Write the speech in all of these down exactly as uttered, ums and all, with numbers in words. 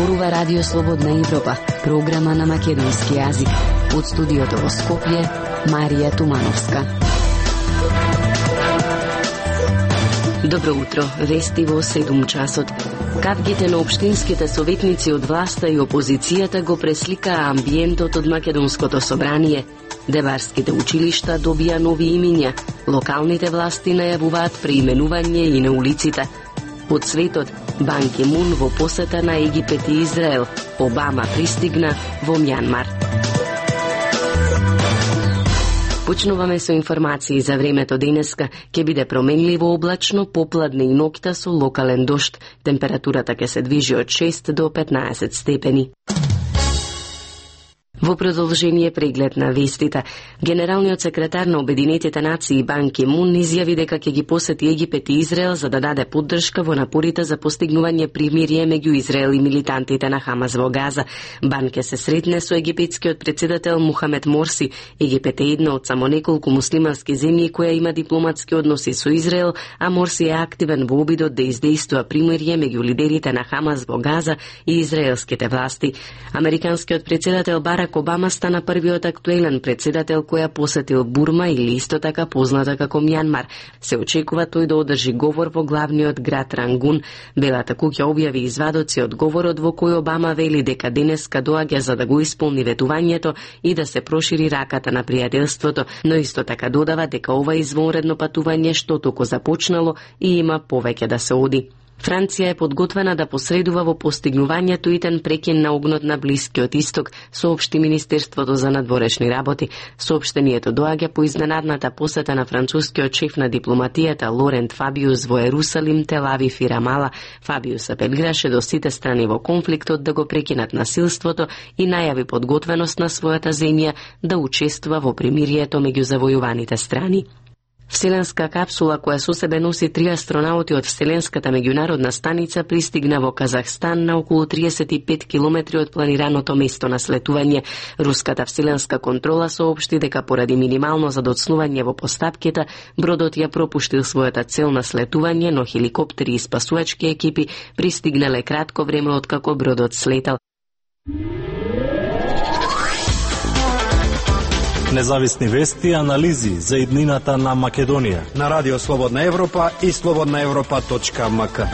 зборува Радио Слободна Европа, програма на македонски јазик. Од студиото во Скопје, Марија Тумановска. Добро утро, вести во седум часот. Кавгите на општинските советници од власта и опозицијата го пресликаа амбиентот од Македонското собрание. Деварските училишта добија нови имиња, локалните власти најавуваат преименување и на улиците. Под светот, Бан Ки Мун во посета на Египет и Израел, Обама пристигна во Мјанмар. Почнуваме со информации за времето денеска. Ќе биде променливо облачно, попладне и ноќта со локален дожд. Температурата ќе се движи од шест до петнаесет степени. Во продолжение преглед на вестите, генералниот секретар на Обединетите нации Бан Ки Мун изјави дека ќе ги посети Египет и Израел за да даде поддршка во напорите за постигнување примирие меѓу Израел и милитантите на Хамас во Газа. Бан ќе се сретне со египетскиот претседател Мухамед Морси. Египет е една од само неколку муслимански земји која има дипломатски односи со Израел, а Морси е активен во обидот да издействува примирие меѓу лидерите на Хамас во Газа и израелските власти. Американскиот претседател Барак Обама стана првиот актуелен претседател која посетил Бурма или исто така позната како Мјанмар. Се очекува тој да одржи говор во главниот град Рангун. Белата куќа објави извадоци од говорот во кој Обама вели дека денеска доаѓа за да го исполни ветувањето и да се прошири раката на пријателството, но исто така додава дека ова извонредно патување што току започнало и има повеќе да се оди. Франција е подготвена да посредува во постигнувањето итен прекин на огнот на Блискиот Исток, соопшти Министерството за надворешни работи. Соопштението доаѓа по изненадната посета на францускиот шеф на дипломатијата Лорент Фабиус во Ерусалим, Тел Авив и Рамала. Фабиус апелираше до сите страни во конфликтот да го прекинат насилството и најави подготвеност на својата земја да учествува во примирието меѓу завојуваните страни. Вселенска капсула која со себе носи три астронаути од Вселенската меѓународна станица пристигна во Казахстан на околу триесет и пет километри од планираното место на слетување. Руската вселенска контрола соопшти дека поради минимално задоцнување во постапките, бродот ја пропуштил својата цел на слетување, но хеликоптери и спасувачки екипи пристигнале кратко време откако бродот слетал. Независни вести и анализи за иднината на Македонија на Радио Слободна Европа и слободна европа точка ем ка.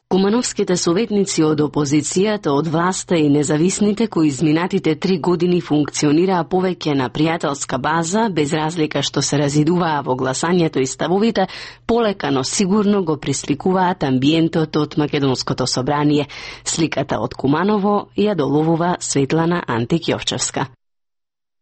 Кумановските советници од опозицијата, од власта и независните кои изминатите три години функционираа повеќе на пријателска база, без разлика што се разидуваа во гласањето и ставовите, полека но сигурно го присликуваат амбиентот од Македонското собрание. Сликата од Куманово ја доловува Светлана Антик-Јовчевска.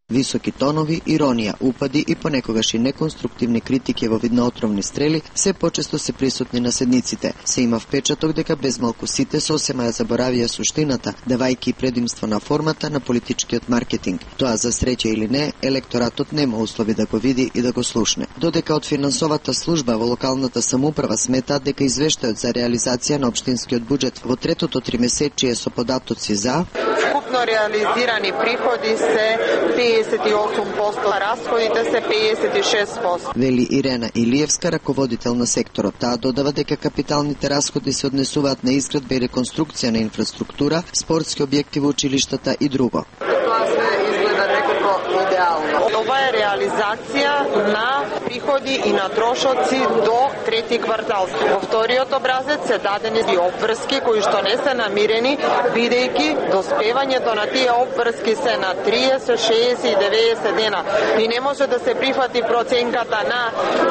Високи тонови, иронија, упади и понекогаш и неконструктивни критики во вид на отровни стрели се почесто се присутни на седниците. Се има впечаток дека безмалку сите сосема ја заборавија суштината, давајќи предимство на формата на политичкиот маркетинг. Тоа за среќа или не, електоратот нема услови да го види и да го слушне. Додека од финансовата служба во локалната самоуправа сметаат дека извештајот за реализација на општинскиот буџет во третото тримесечие со податоци за Вкупно реализирани приходи се пеесет и осум проценти, расходите се пеесет и шест проценти. Вели Ирена Илиевска, раководител на секторот. Таа додава дека капиталните расходи се однесуваат на изградба и реконструкција на инфраструктура, спортски објекти во училиштата и друго. Тоа се изгледа некако идеално. Ова е реализација на приходи и на трошоци до трети квартал. Во вториот образец се дадени и обврски кои што не се намирени, бидејќи доспевањето на тие обврски се на триесет, шеесет и деветдесет дена. И не може да се прифати проценката на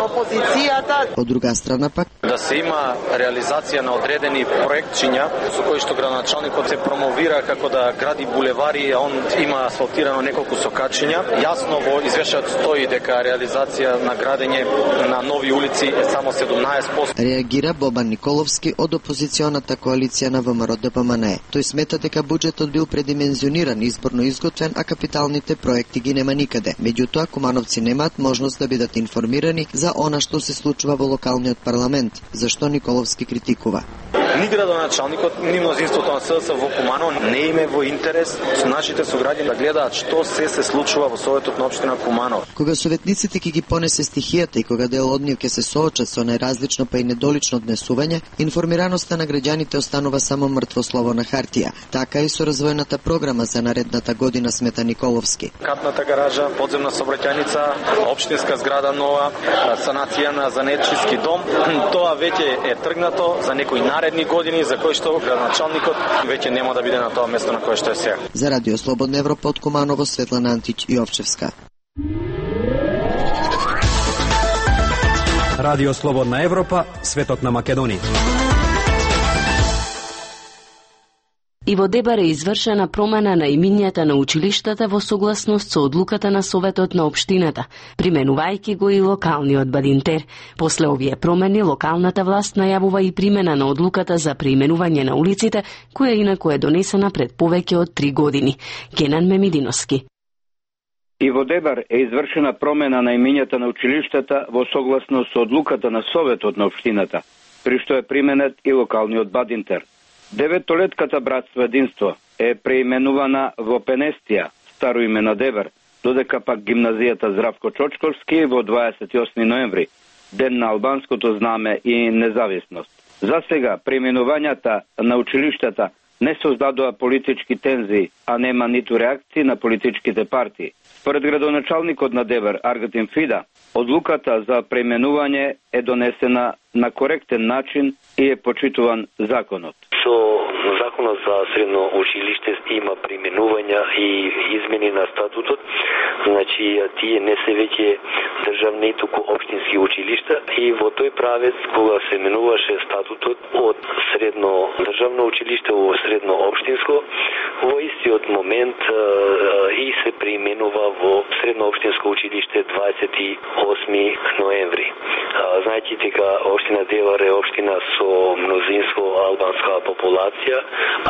опозицијата. Од друга страна пак да се има реализација на одредени проектчиња со кои што градоначалникот се промовира како да гради булевари, а он има асфалтирано неколку сокачиња. Јасно во извештајот стои дека реализација на градење на нови улици е само седумнаесет проценти. Реагира Бобан Николовски од опозиционата коалиција на ВМРО Д П М Н Е. Тој смета дека буџетот бил предимензиониран, изборно изготвен, а капиталните проекти ги нема никаде. Меѓутоа, кумановци немаат можност да бидат информирани за она што се случува во локалниот парламент, зашто Николовски критикува. Ни градоначалникот, ни мнозинството на СДС во Куманово не име во интерес со нашите сограѓани да гледаат што се се случува во Советот на општина Куманово. Кога советниците ќе ги понесе стихијата и кога дел од нив ќе се соочат со најразлично па и недолично однесување, информираноста на граѓаните останува само мртво слово на хартија. Така и со развојната програма за наредната година Смета Николовски. Катната гаража, подземна сообраќајница, општинска зграда нова, санација на занечиски дом, тоа веќе е тргнато за некои наредни години за кои што градоначалникот веќе нема да биде на тоа место на кое што е сега. За Радио Слободна Европа од Куманово, Светлана Антич и Овчевска. Радио Слободна Европа, светот на Македонија. И во Дебар е извршена промена на имињата на училиштата во согласност со одлуката на Советот на општината, применувајќи го и локалниот Бадинтер. После овие промени, локалната власт најавува и примена на одлуката за преименување на улиците, која инаку е донесена пред повеќе од три години. Кенан Мемидиновски. И во Дебар е извршена промена на имињата на училиштата во согласност со одлуката на Советот на општината, при што е применет и локалниот Бадинтер. Деветолетката братство единство е преименувана во Пенестија, старо име на Дебар, додека пак гимназијата Здравко Чочковски во дваесет и осми ноември, ден на албанското знаме и независност. За сега преименувањата на училиштата не создадоа политички тензии, а нема ниту реакции на политичките партии. Според градоначалникот на Дебар, Аргатин Фида, одлуката за преименување е донесена на коректен начин и е почитуван законот. Со законот за средно училиште има преименувања и измени на статутот, значи тие не се веќе државни, туку општински училишта, и во тој правец кога се менуваше статутот од средно државно училиште во средно општинско, во истиот момент и се преименува во средно општинско училиште дваесет и осми ноември. Знаете дека општина Дебар е општина со мнозинство албанска популација,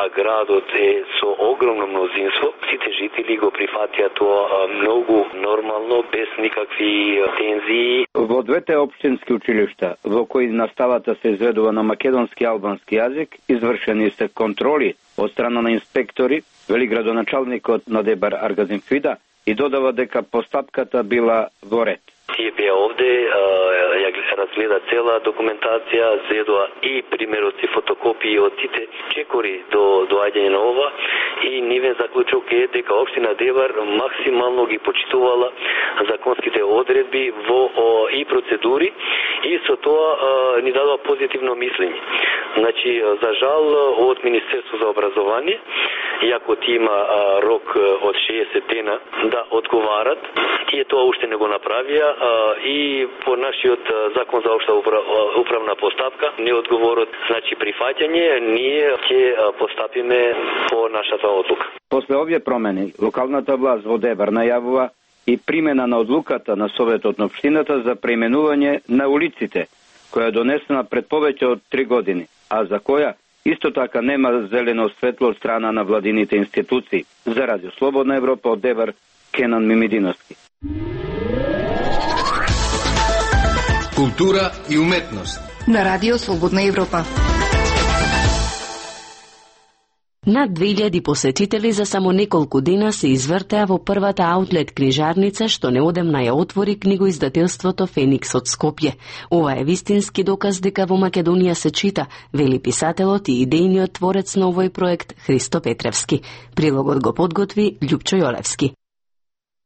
а градот е со огромно мнозинство. Сите жители го прифатија тоа многу нормално, без никакви тензии. Во двете општински училишта, во кои наставата се изведува на македонски и албански јазик, извршени се контроли од страна на инспектори, вели градоначалникот на Дебар Аргазин Фида, и додава дека постапката била во ред. Тие беа овде, ја разгледа цела документација, зедоа и примероци, фотокопии од сите чекори до доаѓање на ова, и нивен заклучок е дека општина Дебар максимално ги почитувала законските одредби во и процедури, и со тоа ни дадува позитивно мислење. Значи, за жал од Министерство за образование, иако ти има рок од шеесет дена да одговарат, тие тоа уште не го направија, и по нашиот закон за општа управна постапка не одговорот, значи прифаќање, ние ќе постапиме по нашата одлука. После овие промени, локалната власт во Дебар најавува и примена на одлуката на Советот на општината за преименување на улиците, која е донесена пред повеќе од три години, а за која исто така нема зелено светло од страна на владините институции. За Радио Слободна Европа од Дебар, Кенан Мимидиновски. Култура и уметност на Радио Слободна Европа. Над две илјади посетители за само неколку дена се извртеа во првата аутлет книжарница што неодамна ја отвори книгоиздателството Феникс од Скопје. Ова е вистински доказ дека во Македонија се чита, вели писателот и идејниот творец на овој проект Христо Петревски. Прилогот го подготви Љупчо Јолевски.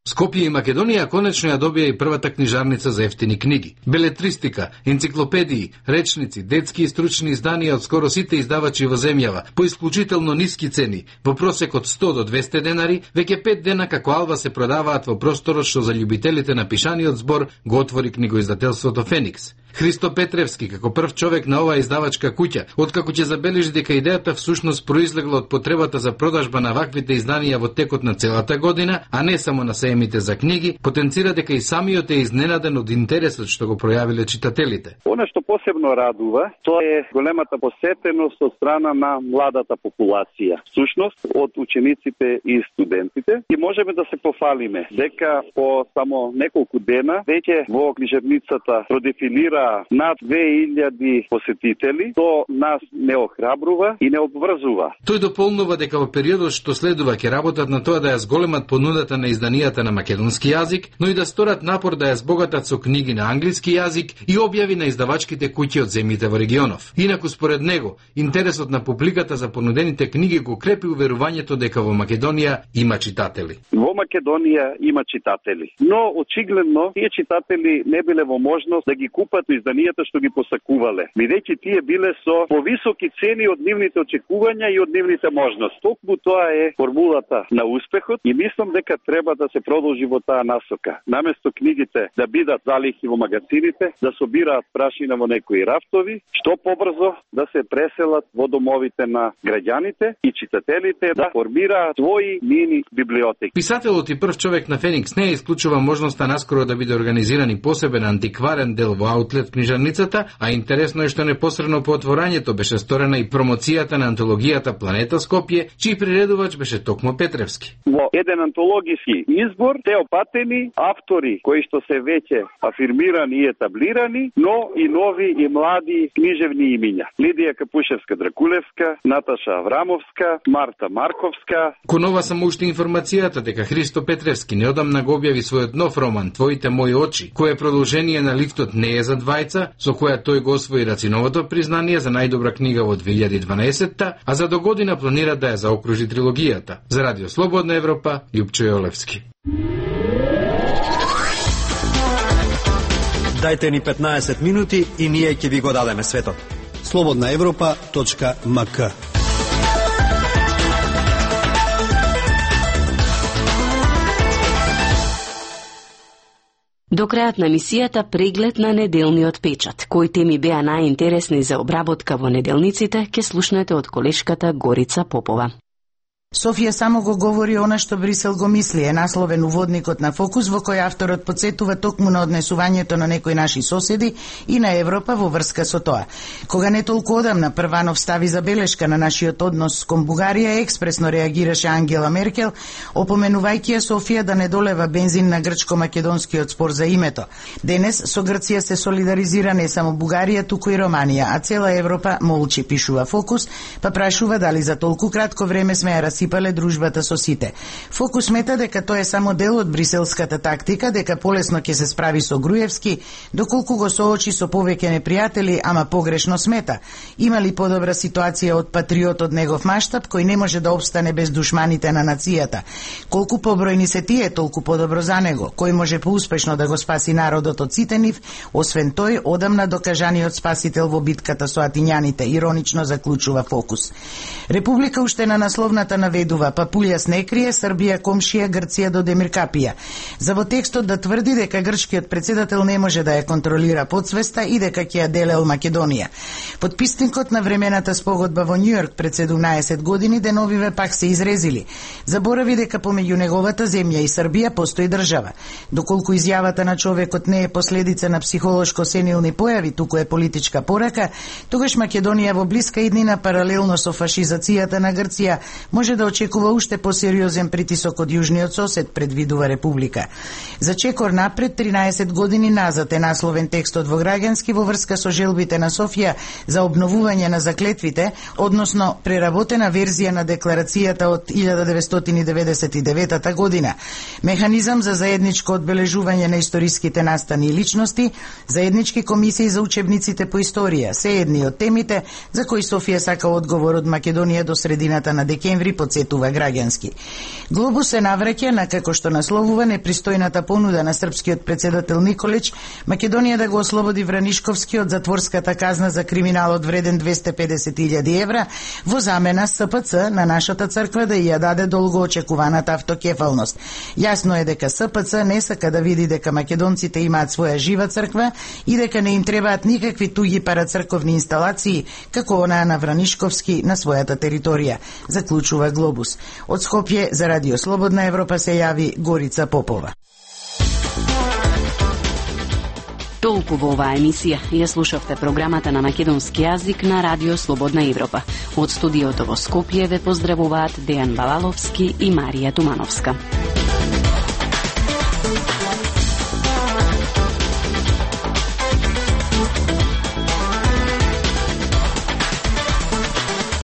Скопје и Македонија конечно ја добија и првата книжарница за ефтини книги. Белетристика, енциклопедии, речници, детски и стручни изданија од скоро сите издавачи во земјава, по исклучително ниски цени, во просек од сто до двесте денари, веќе пет дена како алва се продаваат во просторот што за љубителите на пишаниот збор го отвори книгоиздателството Феникс. Христо Петревски, како прв човек на оваа издавачка куќа, откако ќе забележи дека идејата всушност произлегла од потребата за продажба на ваквите изданија во текот на целата година, а не само на сеемите за книги, потенцира дека и самиот е изненаден од интересот што го пројавиле читателите. Она што посебно радува, тоа е големата посетеност од страна на младата популација. Всушност од учениците и студентите, и можеме да се пофалиме дека по само неколку дена веќе во книжарницата продефинира собира над две илјади посетители, то нас не охрабрува и не обврзува. Тој дополнува дека во периодот што следува ќе работат на тоа да ја зголемат понудата на изданијата на македонски јазик, но и да сторат напор да ја збогатат со книги на англиски јазик и објави на издавачките куќи од земјите во регионов. Инаку според него, интересот на публиката за понудените книги го крепи уверувањето дека во Македонија има читатели. Во Македонија има читатели, но очигледно тие читатели не биле во можност да ги купат изданијата што ги посакувале, бидејќи тие биле со повисоки цени од нивните очекувања и од нивните можности. Токму тоа е формулата на успехот и мислам дека треба да се продолжи во таа насока. Наместо книгите да бидат залихи во магазините, да собираат прашина во некои рафтови, што побрзо да се преселат во домовите на граѓаните и читателите да формираат своји мини библиотеки. Писателот и прв човек на Феникс не исклучува можноста наскоро да биде организиран и посебен антикварен дел во аутлет книжарницата, а интересно е што непосредно по отворањето беше сторена и промоцијата на антологијата Планета Скопје, чиј приредувач беше токму Петревски. Во еден антологиски избор те опатени автори кои што се веќе афирмирани и етаблирани, но и нови и млади книжевни имиња. Лидија Капушевска-Дракулевска, Наташа Аврамовска, Марта Марковска. Конова само уште информацијата дека Христо Петревски неодамна го објави својот нов роман Твоите мои очи, кој е продолжение на Лифтот не е за двајца, со која тој го освои Рациновото признание за најдобра книга во две илјади и дванаесетта, а за до година планира да ја заокружи трилогијата. За Радио Слободна Европа, Љупчо Јолевски. Дајте ни петнаесет минути и ние ќе ви го дадеме светот. слободна европа точка ем ка. До крајот на емисијата преглед на неделниот печат. Кои теми беа најинтересни за обработка во неделниците, ќе слушнете од колешката Горица Попова. Софија само го говори она што Брисел го мисли, е насловен уводникот на Фокус, во кој авторот потсетува токму на однесувањето на некои наши соседи и на Европа во врска со тоа. Кога не толку одамна Прванов стави забелешка на нашиот однос кон Бугарија, експресно реагираше Ангела Меркел, опоменувајќи ја Софија да не долева бензин на грчко-македонскиот спор за името. Денес со Грција се солидаризира не само Бугарија, туку и Романија, а цела Европа молчи, пишува Фокус, па прашува дали за толку кратко време сме ја сипале дружбата со сите. Фокус смета дека тоа е само дел од бриселската тактика, дека полесно ќе се справи со Груевски, доколку го соочи со повеќе непријатели, ама погрешно смета. Има ли подобра ситуација од патриот од негов маштаб, кој не може да обстане без душманите на нацијата? Колку побројни се тие, толку подобро за него. Кој може поуспешно да го спаси народот од сите нив, освен тој, одамна докажаниот спасител во битката со атињаните, иронично заклучува Фокус. Република уште на насловната наведува, Папулја не крие, Србија комшија, Грција до Демир капија. За во текстот да тврди дека грчкиот председател не може да ја контролира подсвеста и дека ќе ја делел Македонија. Подписникот на времената спогодба во Њујорк пред седумнаесет години деновиве пак се изрезили. Заборави дека помеѓу неговата земја и Србија постои држава. Доколку изјавата на човекот не е последица на психолошко сенилни појави, туку е политичка порака, тогаш Македонија во блиска иднина паралелно со фашизацијата на Грција може да очекува уште посериозен притисок од јужниот сосед, предвидува Република. За чекор напред, тринаесет години назад е насловен текстот во Граѓански во врска со желбите на Софија за обновување на заклетвите, односно преработена верзија на декларацијата од илјада деветстотини деветдесет и девета година. Механизам за заедничко одбележување на историските настани и личности, заеднички комисии за учебниците по историја, се едни од темите за кои Софија сака одговор од Македонија до средината на декември, подсетува Граѓански. Глобус се навраќа на, како што насловува, непристојната понуда на српскиот председател Николич Македонија да го ослободи Вранишковски од затворската казна за криминалот вреден двесте и педесет илјади евра во замена С П Ц на нашата црква да ја даде долго очекуваната автокефалност. Јасно е дека С П Ц не сака да види дека македонците имаат своја жива црква и дека не им требаат никакви туѓи парацрковни инсталации како онаа на Вранишковски на својата територија, заклучува Глобус. Од Скопје за Радио Слободна Европа се јави Горица Попова. Толку во оваа емисија. Ја слушавте програмата на македонски јазик на Радио Слободна Европа. Од студиото во Скопје ве поздравуваат Дејан Балаловски и Марија Тумановска.